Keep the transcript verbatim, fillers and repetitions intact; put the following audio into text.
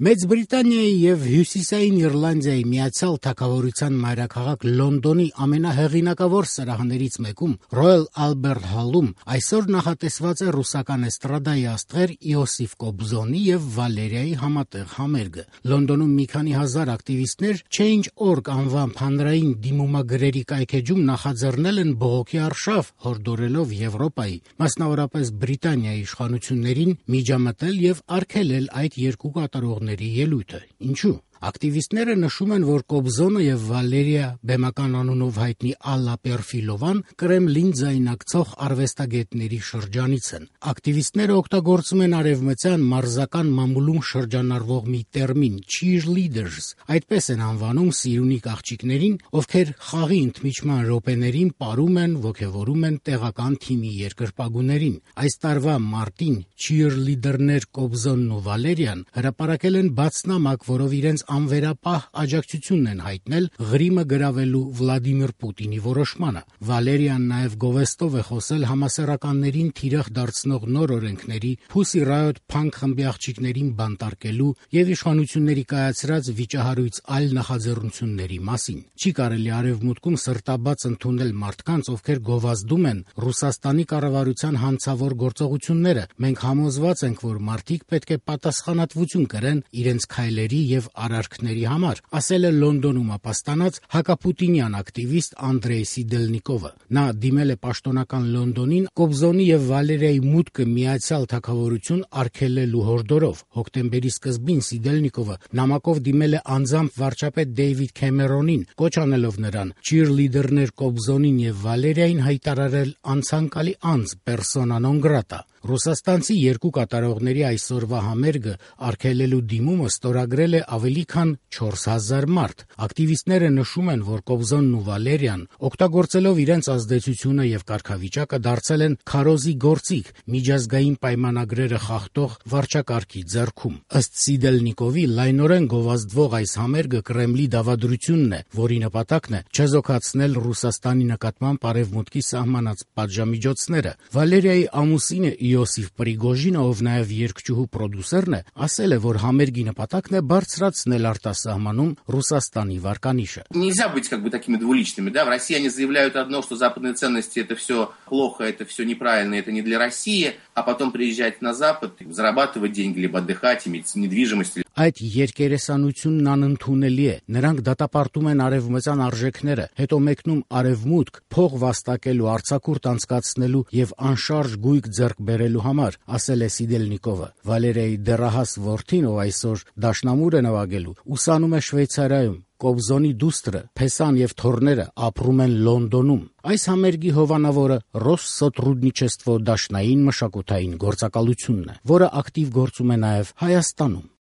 Մեծ Բրիտանիայի և Հյուսիսային Իռլանդիայի Միացյալ Թագավորության մայրաքաղաք Լոնդոնի ամենահեղինակավոր սրահներից մեկում Royal Albert Hall-ում այսօր նախատեսված է ռուսական էստրադայի աստղեր Իոսիֆ Կոբզոնի և Վալերիայի համատեղ համերգը։ Լոնդոնում մի քանի հազար ակտիվիստներ Change dot org անվամբ հանրային դիմումագրերի կայքէջում նախաձեռնել են բողոքի արշավ, հորդորելով Եվրոպայի, մասնավորապես Բրիտանիայի իշխանություններին միջամտել և արգելել այդ երկու կատարողների ելույթը։ Ինչու՞։ Ակտիվիստները նշում են, որ Կոբզոնը և Վալերիա բեմական անունով հայտնի Ալլա Պերֆիլովան Կրեմլին ձայնակցող արվեստագետների շրջանից են։ Ակտիվիստները օգտագործում են արևմտյան մարզական մամուլում շրջանառվող մի տերմին cheerleaders, այդպես են անվանում սիրունիկ աղջիկներին, ովքեր խաղի ընդմիջման րոպեներին պարում են, ոգևորում են տեղական թիմի երկրպագուներին։ Այս տարվա մարտին cheerleader-ներ Կոբզոնն ու Վալերիան հրապարակել են բաց նամակ, որով իրենց անվերապահ աջակցությունն են հայտնել Ղրիմը գրավելու Վլադիմիր Պուտինի որոշմանը։ Վալերիան նաև գովեստով է խոսել համասեռականներին թիրախ դարձնող նոր օրենքների, Pussy Riot փանկ խմբի աղջիկներին բանտարկելու և իշխանությունների կայացրած վիճահարույց այլ նախաձեռնությունների մասին։ Չի կարելի Արևմուտքում սրտաբաց ընդունել մարդկանց, ովքեր գովազդում են Ռուսաստանի կառավարության հանցավոր գործողությունները։ Մենք համոզված ենք, որ մարդիկ պետք է պատասխանատվություն կրեն իրենց քայլերի և արարքների համար, ասել է Լոնդոնում ապաստանած հակապուտինյան ակտիվիստ Անդրեյ Սիդելնիկովը։ Նա դիմել է պաշտոնական Լոնդոնին Կոբզոնի և Վալերիայի մուտքը Միացյալ Թագավորություն արգելելու հորդորով։ Հոկտեմբերի սկզբին Սիդելնիկովը նամակով դիմել է անձամբ վարչապետ Դեյվիդ Քեմերոնին, կոչ անելով նրան cheerleader-ներ Կոբզոնին և Վալերիային հայտարարել անցանկալի անձ persona non grata։ Ռուսաստանցի երկու կատարողների այսօրվա համերգը արգելելու դիմումը ստորագրել է ավելի քան չորս հազար մարդ։ Ակտիվիստները նշում են, որ Կոբզոնն ու Վալերիան, օգտագործելով իրենց ազդեցությունը և կարգավիճակը, դարձել են քարոզի գործիք միջազգային պայմանագրերը խախտող վարչակարգի ձեռքում։ Ըստ Սիդելնիկովի, լայնորեն գովազդվող այս համերգը Կրեմլի դավադրությունն է, որի նպատակն է չեզոքացնել Ռուսաստանի նկատմամբ Արևմուտքի սահմանած պատժամիջոցները։ Վալերիայի ամուսինը Իոսիֆ Պրիգոժինը, ով նաև երգչուհու պրոդյուսերն է, ասել է, որ համերգի նպատակն է բարձրացնել արտասահմանում Ռուսաստանի վարկանիշը։ Нельзя быть как бы такими двуличными, да? В России они заявляют одно, что западные ценности это все плохо, это все неправильно, это не для России, а потом приезжать на Запад, зарабатывать деньги, либо отдыхать, иметь недвижимость. Այդ երկերեսանությունն անընդունելի է։ Նրանք դատապարտում են արևմտյան արժեքները, հետո մեկնում արևմուտք փող վաստակելու, արձակուրդ անցկացնելու և անշարժ գույք ձեռք բերելու համար, ասել է Սիդելնիկովը։ Վալերիայի դեռահաս որդին, ով այսօր դաշնամուր է նվագելու, ուսանում է Շվեյցարիայում։ Կոբզոնի դուստրը, Փեսան և թոռները ապրում են Լոնդոնում։ Այս համերգի հովանավորը Ռոսսոտրուդնիչեստվո դաշնային մշակութային գործակալությունն է, որը ակտիվ գործում է նաև Հայաստանում։